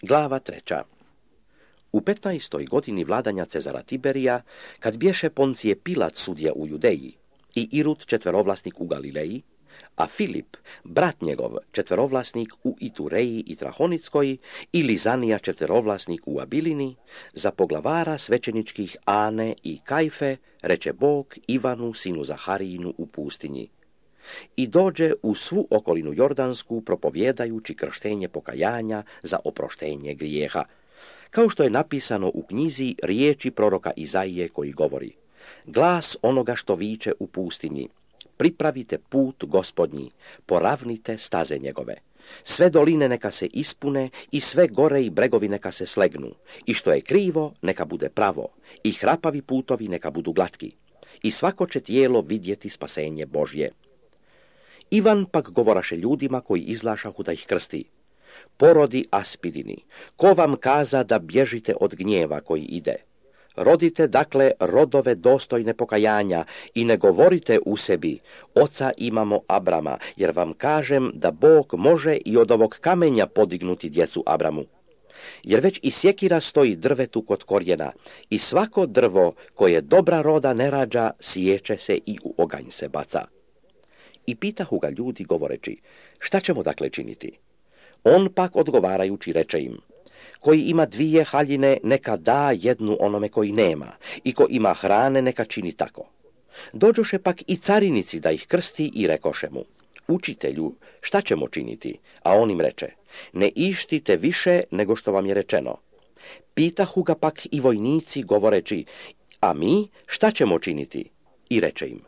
Glava 3. U 15. godini vladanja Cezara Tiberija, kad bješe Poncije Pilat sudija u Judeji i Irud četverovlasnik u Galileji, a Filip, brat njegov, četverovlasnik u Itureji i Trahonickoj, i Lizanija četverovlasnik u Abilini, za poglavara svećeničkih Ane i Kajfe reče Bog Ivanu, sinu Zaharijinu, u pustinji. I dođe u svu okolinu Jordansku, propovjedajući krštenje pokajanja za oproštenje grijeha, kao što je napisano u knjizi riječi proroka Izaije koji govori: glas onoga što viče u pustinji, pripravite put Gospodnji, poravnite staze njegove. Sve doline neka se ispune i sve gore i bregovi neka se slegnu, i što je krivo neka bude pravo, i hrapavi putovi neka budu glatki, i svako će tijelo vidjeti spasenje Božje. Ivan pak govoraše ljudima koji izlašahu da ih krsti: porodi aspidini, ko vam kaza da bježite od gnjeva koji ide? Rodite dakle rodove dostojne pokajanja i ne govorite u sebi: oca imamo Abrama, jer vam kažem da Bog može i od ovog kamenja podignuti djecu Abramu. Jer već i sjekira stoji drvetu kod korijena, i svako drvo koje dobra roda ne rađa, siječe se i u oganj se baca. I pitahu ga ljudi govoreći: šta ćemo dakle činiti? On pak odgovarajući reče im: koji ima 2 haljine neka da jednu onome koji nema, i ko ima hrane neka čini tako. Dođoše pak i carinici da ih krsti i rekoše mu: učitelju, šta ćemo činiti? A on im reče: ne ištite više nego što vam je rečeno. Pitahu ga pak i vojnici govoreći: a mi šta ćemo činiti? I reče im: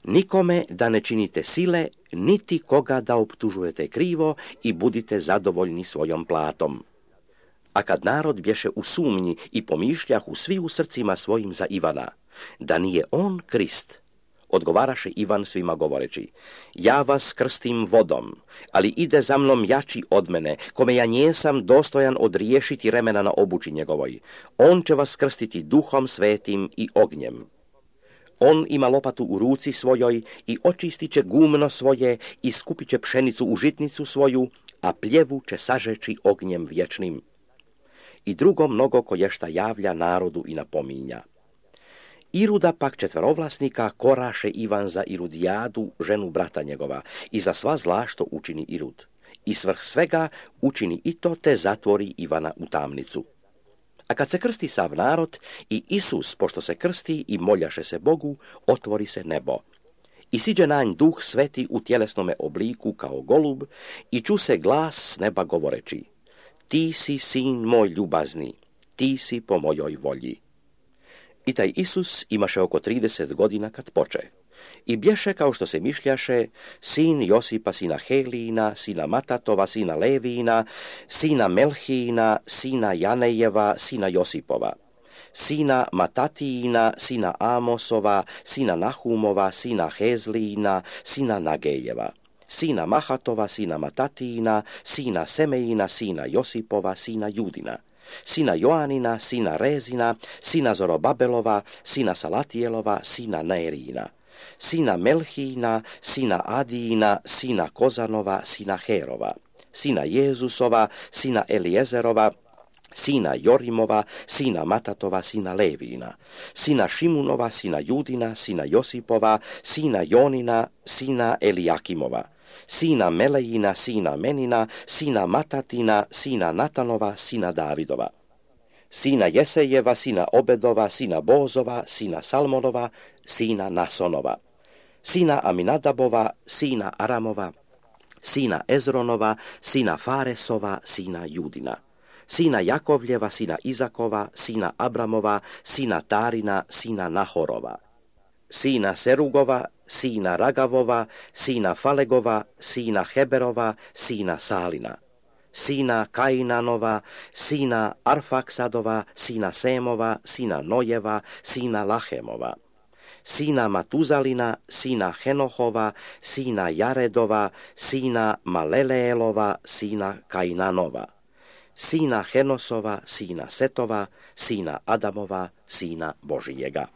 nikome da ne činite sile, niti koga da optužujete krivo, i budite zadovoljni svojom platom. A kad narod bješe u sumnji i pomišljahu svi u srcima svojim za Ivana, da nije on Krist, odgovaraše Ivan svima govoreći: ja vas krstim vodom, ali ide za mnom jači od mene, kome ja njesam dostojan odriješiti remena na obući njegovoj. On će vas krstiti Duhom Svetim i ognjem. On ima lopatu u ruci svojoj i očistit će gumno svoje i skupit će pšenicu u žitnicu svoju, a pljevu će sažeći ognjem vječnim. I drugo mnogo koješta javlja narodu i napominja. Iruda pak četverovlasnika koraše Ivan za Irudijadu, ženu brata njegova, i za sva zla što učini Irud. I svrh svega učini i to, te zatvori Ivana u tamnicu. A kad se krsti sav narod i Isus, pošto se krsti i moljaše se Bogu, otvori se nebo. I siđe na nj Duh Sveti u tjelesnome obliku kao golub, i ču se glas s neba govoreći: ti si sin moj ljubazni, ti si po mojoj volji. I taj Isus imaše oko 30 godina kad poče. I bješe, kao što se mišljaše, sin Josipa, sina Helijina, sina Matatova, sina Levijina, sina Melhijina, sina Janejeva, sina Josipova, sina Matatijina, sina Amosova, sina Nahumova, sina Hezlijina, sina Nagejeva, sina Mahatova, sina Matatijina, sina Semejina, sina Josipova, sina Judina, sina Joanina, sina Rezina, sina Zorobabelova, sina Salatijelova, sina Nerijina, sina Melhijina, sina Adijina, sina Kozanova, sina Herova, sina Jezusova, sina Elijezerova, sina Jorimova, sina Matatova, sina Levijina, sina Šimunova, sina Judina, sina Josipova, sina Jonina, sina Elijakimova, sina Melejina, sina Menina, sina Matatina, sina Natanova, sina Davidova, sina Jesejeva, sina Obedova, sina Bozova, sina Salmonova, sina Nasonova, sina Aminadabova, sina Aramova, sina Ezronova, sina Faresova, sina Judina, sina Jakovljeva, sina Izakova, sina Abramova, sina Tarina, sina Nahorova, sina Serugova, sina Ragavova, sina Falegova, sina Heberova, sina Salina, sina Kainanova, sina Arfaksadova, sina Semova, sina Nojeva, sina Lahemova, sina Matuzalina, sina Henohova, sina Jaredova, sina Maleleelova, sina Kainanova, sina Henosova, sina Setova, sina Adamova, sina Božijega.